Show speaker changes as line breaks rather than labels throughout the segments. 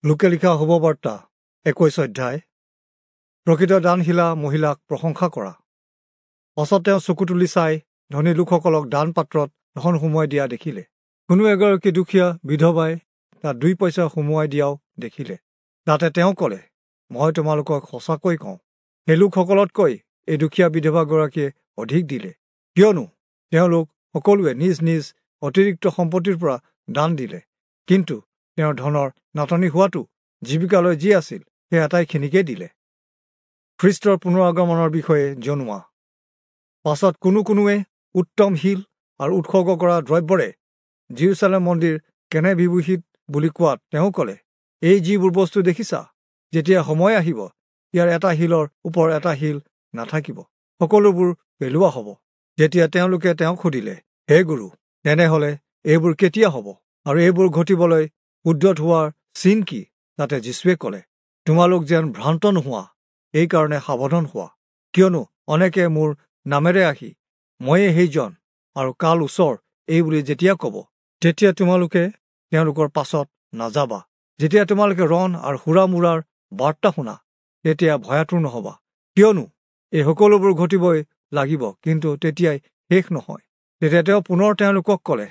লোকে লিখা শুভবাৰ্তা 21 অধ্যায়। প্ৰকৃত দানশীলা মহিলাক প্ৰশংসা কৰা। পাছত তেওঁ চকু তুলি চাই ধনী লোকসকলক দান পাত্ৰত ধন সুমুৱাই দিয়া দেখিলে। কোনো এগৰাকী দুখীয়া বিধৱাই তাত 2 পইচা সুমুৱাই দিয়াও দেখিলে। তাতে তেওঁ ক'লে, মই তোমালোকক সঁচাকৈ কওঁ, সেই লোকসকলতকৈ এই দুখীয়া বিধৱাগৰাকীয়ে অধিক দিলে, কিয়নো তেওঁলোক সকলোৱে নিজ নিজ অতিৰিক্ত সম্পত্তিৰ পৰা দান দিলে, কিন্তু তেওঁৰ ধনৰ নাটনি হোৱাটো জীৱিকালৈ যি আছিল সেই আটাইখিনিকে দিলে। খ্ৰীষ্টৰ পুনৰাগমনৰ বিষয়ে জনোৱা। পাছত কোনো কোনোৱে উত্তম শিল আৰু উৎসৰ্গ কৰা দ্ৰব্যৰে যিৰূচালেম মন্দিৰ কেনে বিভূষিত বুলি কোৱাত তেওঁ ক'লে, এই যিবোৰ বস্তু দেখিছা, যেতিয়া সময় আহিব ইয়াৰ এটা শিলৰ ওপৰ এটা শিল নাথাকিব, সকলোবোৰ পেলোৱা হ'ব। যেতিয়া তেওঁলোকে তেওঁক সুধিলে, হে গুৰু, তেনেহ'লে এইবোৰ কেতিয়া হ'ব আৰু এইবোৰ ঘটিবলৈ উদ্যত হোৱাৰ চিন কি? তাতে যীশুৱে ক'লে, তোমালোক যেন ভ্ৰান্ত নোহোৱা, এইকাৰণে সাৱধান হোৱা, কিয়নো অনেকে মোৰ নামেৰে আহি ময়ে সেইজন আৰু কাল ওচৰ এই বুলি যেতিয়া ক'ব, তেতিয়া তোমালোকে তেওঁলোকৰ পাছত নাযাবা। যেতিয়া তোমালোকে ৰণ আৰু হুৰামুৰাৰ বাৰ্তা শুনা, তেতিয়া ভয়াতুৰ নহবা, কিয়নো এই সকলোবোৰ ঘটিবই লাগিব, কিন্তু তেতিয়াই শেষ নহয়। তেতিয়া তেওঁ পুনৰ তেওঁলোকক ক'লে,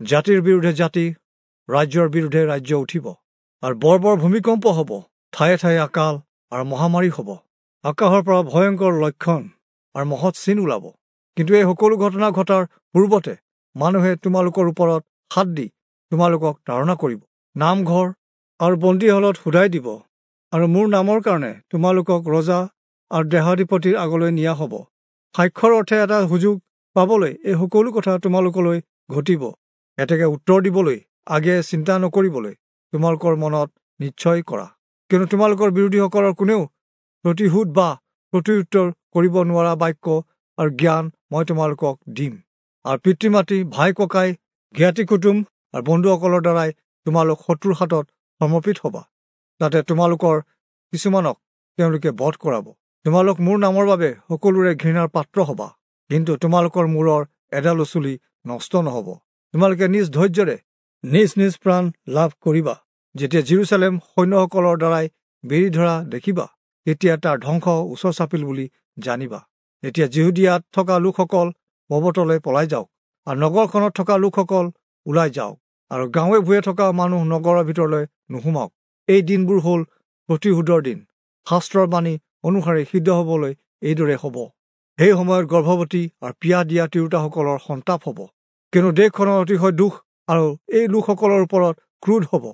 জাতিৰ বিৰুদ্ধে জাতি, ৰাজ্যৰ বিৰুদ্ধে ৰাজ্য উঠিব, আৰু বৰ বৰ ভূমিকম্প হ'ব, ঠায়ে ঠায়ে আকাল আৰু মহামাৰী হ'ব, আকাশৰ পৰা ভয়ংকৰ লক্ষণ আৰু মহৎ চিন ওলাব। কিন্তু এই সকলো ঘটনা ঘটাৰ পূৰ্বতে মানুহে তোমালোকৰ ওপৰত হাত দি তোমালোকক তাড়না কৰিব, নামঘৰ আৰু বন্দীশালত সোধাই দিব, আৰু মোৰ নামৰ কাৰণে তোমালোকক ৰজা আৰু দেহাধিপতিৰ আগলৈ নিয়া হ'ব। সাক্ষ্যৰ অৰ্থে এটা সুযোগ পাবলৈ এই সকলো কথা তোমালোকলৈ ঘটিব। এতেকে উত্তৰ দিবলৈ আগে চিন্তা নকৰিবলৈ তোমালোকৰ মনত নিশ্চয় কৰা, কিন্তু তোমালোকৰ বিৰোধীসকলৰ কোনেও প্ৰতিশোধ বা প্ৰত্যুত্তৰ কৰিব নোৱাৰা বাক্য আৰু জ্ঞান মই তোমালোকক দিম। আৰু পিতৃ মাতৃ, ভাই ককাই, জ্ঞাতি কুটুম আৰু বন্ধুসকলৰ দ্বাৰাই তোমালোক শত্ৰুৰ হাতত সমৰ্পিত হ'বা। তাতে তোমালোকৰ কিছুমানক তেওঁলোকে বধ কৰাব। তোমালোক মোৰ নামৰ বাবে সকলোৰে ঘৃণাৰ পাত্ৰ হ'বা, কিন্তু তোমালোকৰ মূৰৰ এডালো চুলি নষ্ট নহ'ব। তোমালোকে নিজ ধৈৰ্যৰে নিজ নিজ প্ৰাণ লাভ কৰিবা। যেতিয়া যিৰূচালেম সৈন্যসকলৰ দ্বাৰাই বেৰি ধৰা দেখিবা, তেতিয়া তাৰ ধ্বংস ওচৰ চাপিল বুলি জানিবা। তেতিয়া যিহুদীয়াত থকা লোকসকল পৰ্বতলৈ পলাই যাওক, আৰু নগৰখনত থকা লোকসকল ওলাই যাওক, আৰু গাঁৱে ভূঞে থকা মানুহ নগৰৰ ভিতৰলৈ নোসোমাওক। এই দিনবোৰ হ'ল প্ৰতিশোধৰ দিন, শাস্ত্ৰৰ বাণী অনুসাৰে সিদ্ধ হ'বলৈ এইদৰে হ'ব। সেই সময়ত গৰ্ভৱতী আৰু পিয়াহ দিয়া তিৰোতাসকলৰ সন্তাপ হ'ব, কিয়নো দেশখনৰ অতিশয় দুখ আৰু এই লোকসকলৰ ওপৰত ক্ৰোধ হ'ব।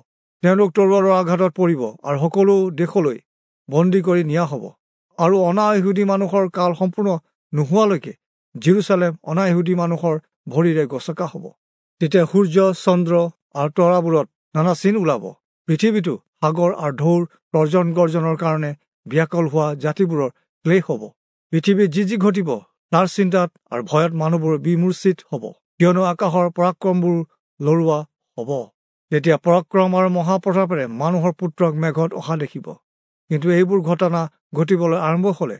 তেওঁলোক তৰোৱালৰ আঘাতত পৰিব আৰু সকলো দেশলৈ বন্দী কৰি নিয়া হ'ব, আৰু অনা-ইহুদী মানুহৰ কাল সম্পূৰ্ণ নোহোৱালৈকে যিৰূচালেম অনা-ইহুদী মানুহৰ ভৰিৰে গচকা হ'ব। তেতিয়া সূৰ্য, চন্দ্ৰ আৰু তৰাবোৰত নানা চিন ওলাব। পৃথিৱীতো সাগৰ আৰু ঢৌৰ তৰ্জন গৰ্জনৰ কাৰণে ব্যাকুল হোৱা জাতিবোৰৰ ক্লেশ হ'ব। পৃথিৱীত যি যি ঘটিব তাৰ চিন্তাত আৰু ভয়ত মানুহবোৰ বিমূৰ্ছিত হ'ব, কিয়নো আকাশৰ পৰাক্ৰমবোৰ লৰোৱা হ'ব। তেতিয়া পৰাক্ৰম আৰু মহাপ্ৰতাপেৰে মানুহৰ পুত্ৰক মেঘত অহা দেখিব। কিন্তু এইবোৰ ঘটনা ঘটিবলৈ আৰম্ভ হ'লে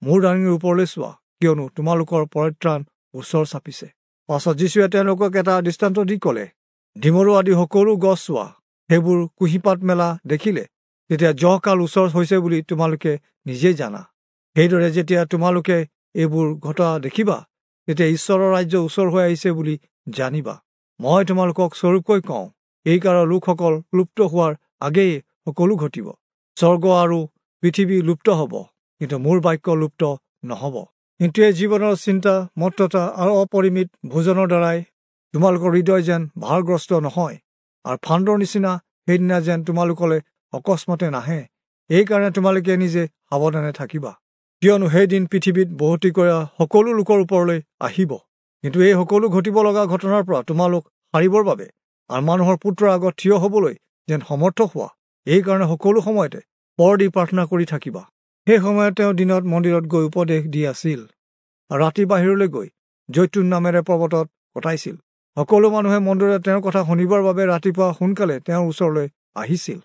মূৰ দাঙি ওপৰলৈ চোৱা, কিয়নো তোমালোকৰ পৰিত্ৰাণ ওচৰ চাপিছে। পাছত যীশুৱে তেওঁলোকক এটা দৃষ্টান্ত দি ক'লে, ডিমৰু আদি সকলো গছ চোৱা, সেইবোৰ কুঁহিপাত মেলা দেখিলে তেতিয়া জহকাল ওচৰ হৈছে বুলি তোমালোকে নিজেই জানা। সেইদৰে যেতিয়া তোমালোকে এইবোৰ ঘটা দেখিবা, তেতিয়া ঈশ্বৰৰ ৰাজ্য ওচৰ হৈ আহিছে বুলি জানিবা। মই তোমালোকক স্বৰূপকৈ কওঁ, এই কালৰ লোকসকল লুপ্ত হোৱাৰ আগেয়ে সকলো ঘটিব। স্বৰ্গ আৰু পৃথিৱী লুপ্ত হ'ব, কিন্তু মোৰ বাক্য লুপ্ত নহ'ব। কিন্তু এই জীৱনৰ চিন্তা, মত্ততা আৰু অপৰিমিত ভোজনৰ দ্বাৰাই তোমালোকৰ হৃদয় যেন ভাৰগ্ৰস্ত নহয়, আৰু ফান্দৰ নিচিনা সেইদিনা যেন তোমালোকলৈ অকস্মাতে নাহে, এইকাৰণে তোমালোকে নিজে সাৱধানে থাকিবা। কিয়নো সেইদিন পৃথিৱীত বসতি কৰা সকলো লোকৰ ওপৰলৈ আহিব। কিন্তু এই সকলো ঘটিব লগা ঘটনাৰ পৰা তোমালোক সাৰিবৰ বাবে আৰু মানুহৰ পুত্ৰৰ আগত থিয় হ'বলৈ যেন সমৰ্থ হোৱা, এইকাৰণে সকলো সময়তে পৰ দি প্ৰাৰ্থনা কৰি থাকিবা। সেই সময়ত তেওঁ দিনত মন্দিৰত গৈ উপদেশ দি আছিল, আৰু ৰাতি বাহিৰলৈ গৈ জৈতুন নামেৰে পৰ্বতত কটাইছিল। সকলো মানুহে মন্দিৰত তেওঁৰ কথা শুনিবৰ বাবে ৰাতিপুৱা সোনকালে তেওঁৰ ওচৰলৈ আহিছিল।